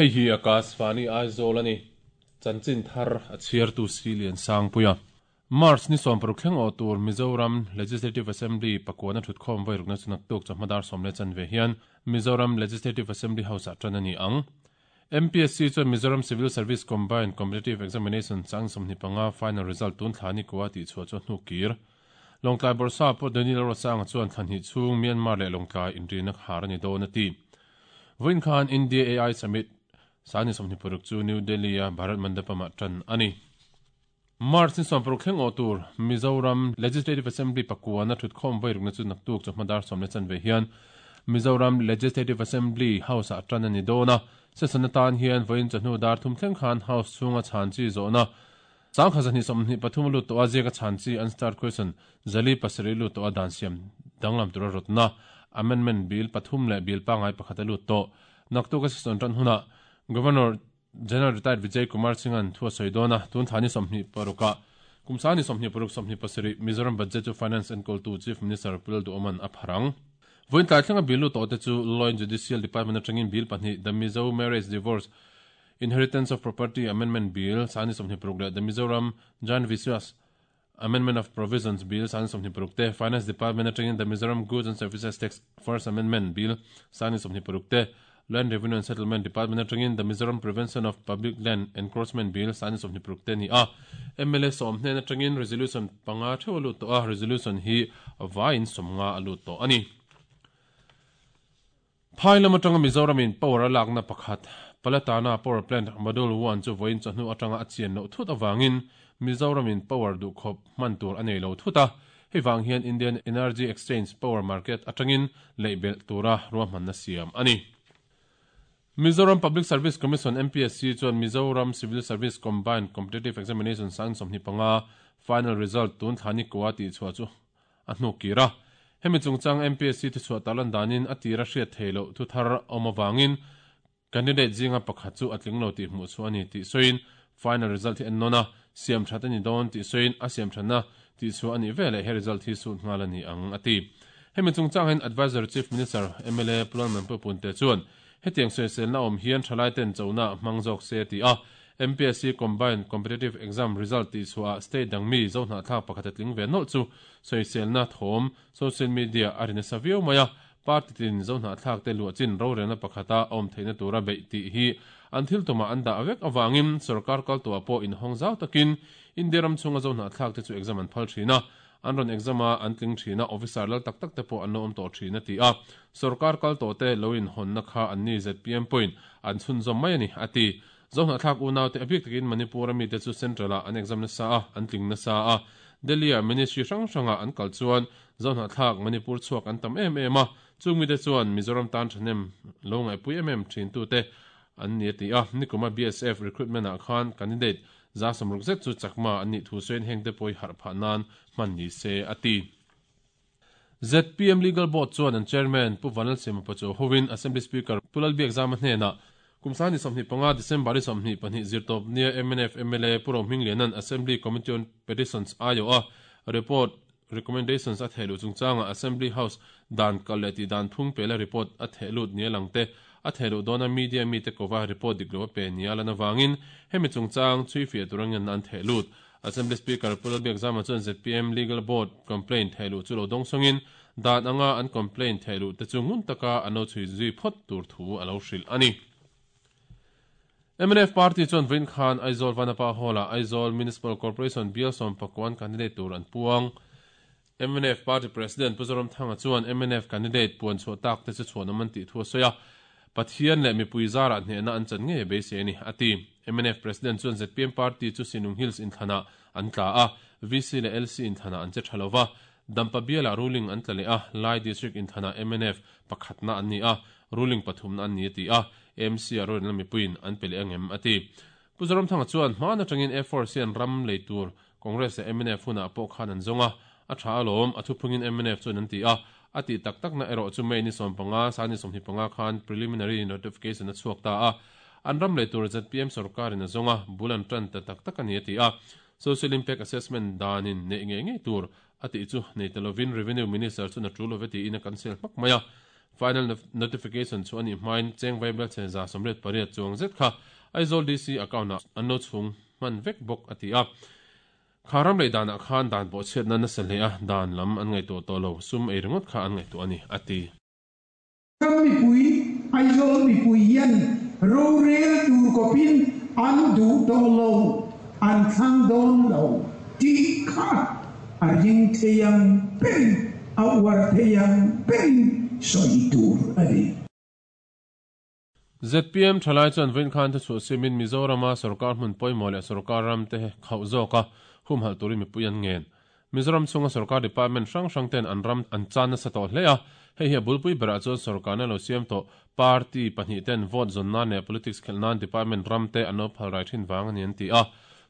Hei hi Akashvani Aizawl a ni. Chanchin thar a chhiartu Silian Sangpuia. March ni 16 thleng awh tur Mizoram Legislative Assembly pakuana thutkhawm vairukna chu naktuk chawhma dar 10 15 hian Mizoram Legislative Assembly House-ah tan a ni ang. MPSC chuan Mizoram Civil Service Combined Competitive Examination chang 25 final result tun thla ni kwa tih chhuah chu hnu kir. Lawngtlai Bawrhsap pawh Daniel Rosanga chuan thla hnih chhung Myanmar leh Lawngtlai inrina khar a ni dawn a ti. Vawiin khan India AI Summit sani 26 chu New Delhi a Bharat Mandapam ah tan a ni. March ni 16 thleng awh tur Mizoram Legislative Assembly pakuana thutkhawm vairukna chu naktuk chawhma dar 10 15 hian Mizoram Legislative Assembly House ah tan a ni dawn a. Session atan hian vawiin chawhnu dar 3 thleng khan House chhunga chhan chi zawhna 1223 lut tawh a ziaka chhan chi unstarred question 407 lut tawh a dan siam danglam tura rawtna amendment bill 3 leh bill pangai pakhat a lut tawh. Naktuk a session tan huna Governor General Retired Vijay Kumar Singh-an thu a sawi dawn a, tun thla ni 26ah kum sa ni 26 27 Mizoram budget chu Finance enkawltu Chief Minister Pu Lalduhoman a pharang. Vawiin tlai thlenga bill lut tawh te chu Law and Judicial Department atangin bill 2 The Mizo Marriage Divorce Inheritance of Property Amendment Bill sani 26 leh The Mizoram Jan Vishwas Amendment of Provisions Bill sani 26 te, Finance Department atangin The Mizoram Goods and Services Tax First Amendment Bill sani 26 te, Land Revenue and Settlement Department atangin The Mizoram Prevention of Public Land Encroachment Bill sani 26 te ni a. MLA 10 hnen atangin resolution 5 theuh a lut tawh a, resolution hi vaiin 50 a lut tawh a ni. Phai lam atanga Mizoramin power a lakna pakhat Palatana Power Plant Module 1 chu vawiin chawhnu atanga a chian loh thut awangin Mizoramin power duh khawp hman tur a nei lo thut a. Hei vang hian Indian Energy Exchange Power Market atangin leihbelh tura ruahmanna siam a ni. Mizoram Public Service Commission MPSC chuan Mizoram Civil Service Combined Competitive Examination sang 25 final result tun thla ni kwa tih chhuah chu a hnu kir a. Hemi chungchang MPSC thu chhuah talan danin a tira hriat thei loh thu thar awm awangin candidate zinga pakhat chu a tling lo tih hmuh chu a ni tih sawiin final result hi en nawn a, siam that a ni dawn tih sawiin a siam thatna tih chu a nih veleh he result hi sut nghal a ni ang a ti. Hemi chungchang hian Adviser Chief Minister MLA Pu Lalmanpui Punte chuan hetiang sawiselna awm hian thalai ten chona hmang zawk se ti a. MPSC Combined Competitive Exam result tih chhuah state dang mi zo hnahthlak pakhat a tling ve nawlh chu sawiselna thawm social media a ri nasa viau mai a. Party tin zo hnahthlak te luah chin rorelna pakhata awm theihna tura beih tih hi an thil tumah an dah vek awangin sarkar kal tuah pawh inhawng zau takin India ram chhunga zo hnahthlak te chu exam an phal thin a. An rawn exam a an tling thin a, officer lal tak tak te pawh an lo awm tawh thin a ti a. Sarkar kal tawh te lo in hawnna kha an ni ZPM pawhin an chhunzawm mai a ni a ti. Zo hnahthlak unaw te a bik takin Manipur ami te chu central ah an exam nasa a, an tling nasa a. Delhi ah ministry hrang hrangah an kal chuan zo hnahthlak Manipur chhuak an tam em em a, chung mi te chuan Mizoram tan thahnem lo ngaihpui em em thin tu te an ni a ti a. Nikuma BSF recruitment ah khan candidate za 60 zet chu chakma an nih thu sawiin heng te pawh hi harh phah nan hman ni se a ti. ZPM Legal Board chuan an chairman Pu Vanlal Siama Pachuau hovin Assembly Speaker Pu Lalbiak Zama hnenah kum sani 25 December ni 22 zirtawp nia MNF MLA Pu Rohming Lianan Assembly Committee on Petitions aio a report recommendations a thehluh chungchanga Assembly House dan kal leh tih dan phung pela report a thehlut nia lang te a thehluh dawna media mi te kova report dik lo a pe nia lan awangin hemi chungchang chui fiah turangen an thehlut. Assembly Speaker Pu Lalbiak Zama chuan ZPM Legal Board complaint thehluh chu lo dawng sawngin dan anga an complaint thehluh te chu ngun taka an lo chhui zui phawt tur thu a lo hrilh a ni. MNF Party chuan vawiin khan Aizawl Vanapa Hall-ah Aizawl Municipal Corporation bial 11 candidate tur an puang. MNF Party President Pu Zoramthanga chuan MNF candidate puan chhuah tak te chu chhuanawm an tih thu a sawi a, Pathian leh mipui zarah hnehna an chan ngei beisei a ni, a ti. MNF President chuan ZPM Party chu Sinung Hills inthlanah an tla a, VC leh LC inthlanah an che tha lova, Dampa bialah ruling an tla leh a, Lai District inthlanah MNF pakhatna an ni a, ruling pathumna an ni a ti a, AMC ah rorelna mipuiin an pe leh angem a ti. Pu Zoramthanga chuan hmaan atangin A4 sian ram lei tur Congress leh MNF hunah pawh khan an zawng a, a tha alawm, a thuphungin MNF chuan an ti a, a tih tak takna erawh chu May ni 15, sani 25 khan preliminary notification a chhuak ta a, an ram lei tur ZPM sarkarin a zawng a, bul an tan ta tak tak a ni a ti a. Social Impact Assessment danin neih ngei ngei tur a tih chu nei ta lovin Revenue Minister chuan a tul love tiin a cancel hmak mai a. Final notification chu a nih hmain cheng vaibelchhe 188 chuang zet kha Aizawl DC account-ah an lo chhung hman vek bawk, a ti a. Kha ram lei danah khan dan bawhchhiatna nasa hle a, dan lam an ngaihtuah tawh lo, sum ei ringawt kha an ngaihtuah a ni, a ti. Ram mipui, Aizawl mipui hian rorel tur kawpin an duh tawh lo, an thlang dawn lo tih kha a ring thei ang berin, a uar thei ang berin sawi tur a ni. Zpm thalai chuan vawiin khan thuchhuah siamin Mizorama sorkar hmun pawimawh leh sorkar ram te khauh zawka humhalh turin mipui an ngen. Mizoram chhunga sorkar department hrang hrang ten an ram an chan nasa tawh hle a, hei hi a bulpui berah chuan sorkarna lo siam tawh party pahnih ten vote zawn nan leh politics khelh nan department ram te an lo phal rai thin vang a ni an ti a.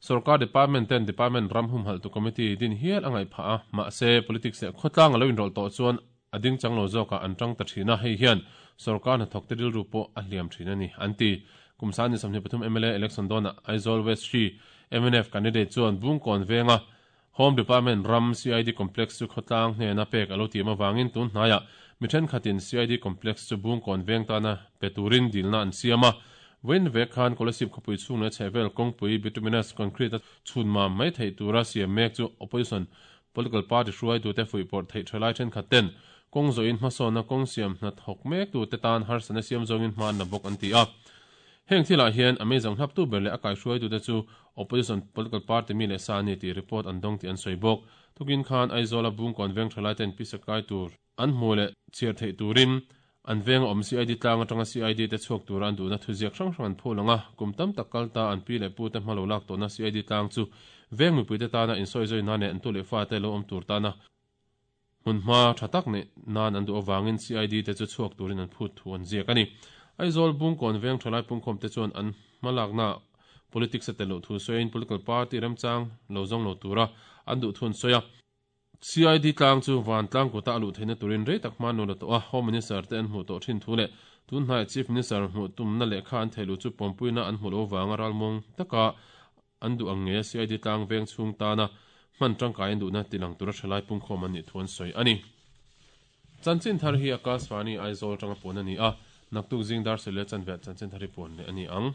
Sorkar department ten department ram humhalhtu committee din hial a ngaih phah a, mahse politics leh khawtlang a lo inrawlh tawh chuan A ding chang lo zawkah an tang ta thin a, hei hian sorkar hnathawkte rilru pawh a hliam thin a ni, an ti. Kum 23 mla election dawnah Aizawl West hri mnf candidate chuan Bungkawn venga Home Department ram CID Complex chu khawtlang hnena pek a lo tiam avangin tun hnaiah mi thenkhatin CID Complex chu Bungkawn veng tana pe turin dilna an siam a. Vawiin vek khan Kolasib khawpui chhung leh chhehvel kawngpui bituminous concrete a chhun mam mai theih tura siam mek chu opposition Political party hruaitute fuihpawrh theih tha lai thenkhat ten kawng zawhin hmasawnna kawng siam hna thawk mektute tan harsatna siam zawngin hma an la bawk an ti a. Heng thilah hian a meizang hlaptu ber leh a kaihruaitute chu opposition political party mi leh sa a ni tih report an dawng tih an sawi bawk. Tukin khan Aizawla Bungkawn veng tha lai ten pisa kai tur an hmuh leh chhiar theih turin an venga awm CID tlang atanga CID te chhuak tura an duhna thuziak hrang hrang an phul ang a, kum tam tak kal ta an pi leh pu te hma lo lak tawhna CID tlang chu veng mipuite tana insawizawi nan leh an tu leh fate lo awm tur tana hmunhma tha tak neih nan an duh avangin CID te chu chhuak turin an phut thu an ziak a ni. Aizawl Bungkawn veng thalai pungkhawmte chuan an hmalakna politics a tel loh thu sawiin political party remchang lo zawng lo tura an duh thu an sawi a. CID tlang chu vantlang kuta a luh theihna turin rei tak hma nual a tawh a, Home Minister te an hmuh tawh thin thu leh tun hnaiah Chief Minister hmuh tumna lehkha an theih luh chu pawmpuina an hmuh loh avanga ralmuang taka an duh ang ngeia CID tlang veng chhung tana hman tangkai an duhna tilang tura thalai pungkhawm an nih thu an sawi a ni. Chanchin thar hi Akashvani Aizawl atanga puan a ni a, naktuk zing dar sel leh chanve ah chanchin thar hi puan leh a ni ang.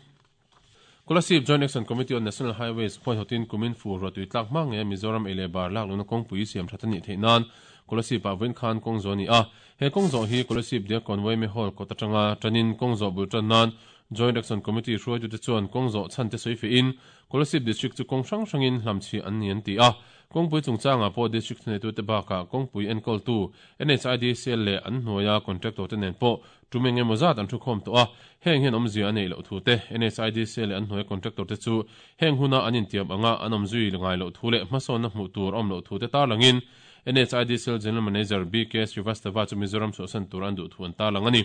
Kolasib Joint Action Committee on National Highways khuaihawtin kumin fur ruahtui tlak hma ngeia Mizoram ei leh bar lak lohna kawngpui siam that a nih theih nan Kolasib ah vawiin khan kawng zawh a ni a. He kawng zawh hi Kolasib Diakkawn Yma Hall kawt atanga tanin kawng zawh bul tan nan Joint Action Committee hruaitute chuan kawng zawh chhan te sawi fihin Kolasib District chu kawng hrang hrangin hlamchhiah an ni an ti a. Kawngpui chungchangah pawh District thuneitute bakah kawngpui enkawltu NHIDCL leh an hnuaia contractor te nen pawh Tum eng emaw zat an thukhawm tawh a, heng hian awmzia a neih loh thu te, NHIDC leh an hnuaia contractor te chu heng huna an intiam anga an awm zui ngai loh thu leh hmasawnna hmuh tur a awm loh thu te tarlangin NHIDCL General Manager BK Srivastava chu Mizoram chhuahsan tur an duh thu an tarlang a ni.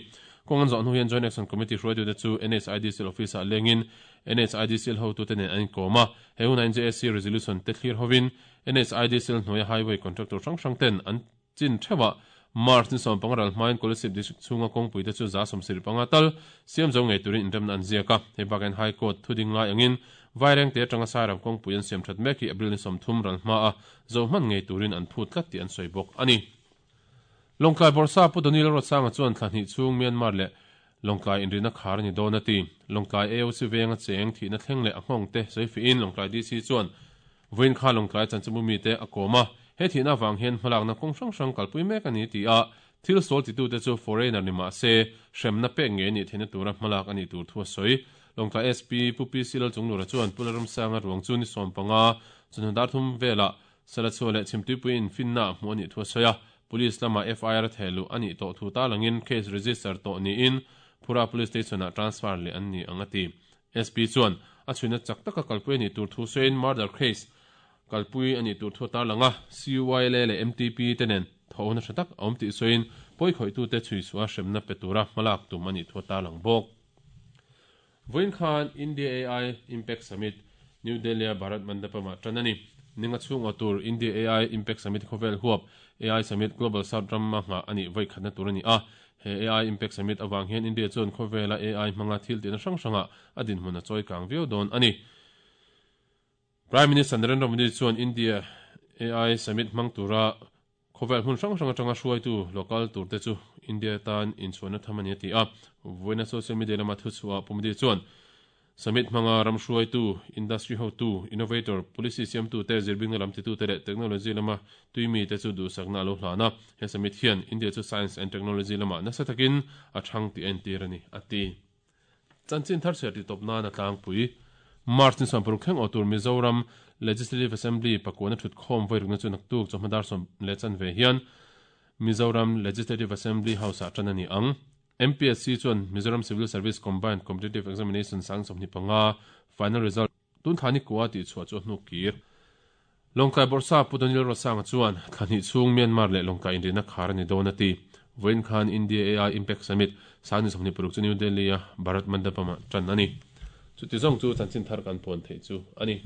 Kawng an zawh hnu hian Joint Action Committee hruaitute chu NHIDCL office-ah lengin NHIDCL hotute nen an inkawm a, he hunah NJAC resolution te thlir hovin NHIDCL hnuaia highway contractor hrang hrang ten an Chin theuhah March ni 15 ral hmain Kolasib District chhunga kawngpui te chu 75 tal siam zo ngei turin inremna an ziak a. Hei bakah hian High Court thuding lai angin Vairengte atanga Sairam kawngpui an siam that mek hi April ni 30 ral hmaa zo hman ngei turin an phut tlat tih an sawi bawk a ni. Lawngtlai Bawrhsa Pu Donil Ruatsanga chuan thla hnih chhung Myanmar leh Lawngtlai inrihna khar a ni dawn a ti. Lawngtlai AOC venga cheng thihna thleng leh a nghawng te sawi fihin Lawngtlai DC chuan Vawiin kha Lawngtlai chanchinbu mite a kawm a, he thihna avang hian hmalakna kawng hrang hrang kalpui mek a ni ti a, thil sual titute chu foreigner ni mah se hremna pek ngei a nih theihna tura hmalak a nih tur thu a sawi. Lawngtlai SP Pu PC Lalchunglura chuan Pu Lalramsanga ruang chu ni 15 chawhnu dar thum velah Salachhuah leh Chhimtuipui infinna ah hmuh a nih thu a sawi a, Police lama FIR a thehluh a nih tawh thu tarlangin case register tawh niin Phura Police Station-ah transfer leh an ni ang a ti. SP chuan a chhuina chak taka kalpui a nih tur thu sawiin murder case kalpui a nih tur thu a tarlang a, CYLA leh MTP te nen thawhna tha tak a awm tih sawiin pawikhawih-tute chhuichhuah hremna pe tura hmalak tum a nih thu a tarlang bawk. Vawiin khan India AI Impact Summit, New Delhi-a Bharat Mandapam-ah tan a ni. Ninga chhung aw tur India AI Impact Summit khawvel huap AI Summit Global South rama nghah a nih vawikhatna tur a ni a. He AI Impact Summit avang hian India chuan khawvela AI hmanga thil tihna hrang hrangah a dinhmun a chawi kang viau dawn a ni. Prime Minister Narendra Modi chuan India AI Summit hmang tura. Khawvel hmun hrang hrang atanga hruaitu local turte chu India tan inchhuanna tham a ni a ti a. Vawiina social media lama thuchhuah Pu Modi chuan, Summit hmanga ram hruaitu, industry hotu, innovator, policy siamtute, zirbingna lam titute leh technology lama tuimite chu duhsakna a lo hlan a. He summit hian India chu science and technology lamah nasa takin a thang tih a entir a ni, a ti. Chanchin thar chhiar tihtawp nan a tlangpui. March ni 60 thleng awh tur Mizoram Legislative Assembly pakuana thutkhawm vawi rukna chu naktuk chawhma dar sawm leh chanve hian Mizoram Legislative Assembly House-ah tan a ni ang. MPSC chuan Mizoram Civil Service Combined Competitive Examination 25,000 final result tun thla ni kua tih chhuah chu a hnuk kir. Lawngtlai Bawrhsa Pu Daniel Rosanga chuan thla hnih chhung Myanmar leh Lawngtlai inrihna khar a ni dawn a ti. Vawiin khan India AI Impact Summit 2026 chu New Delhi-a Bharat Mandapam-ah tan a ni. Chuti zawng chu chanchin thar kan puan theih chu a ni.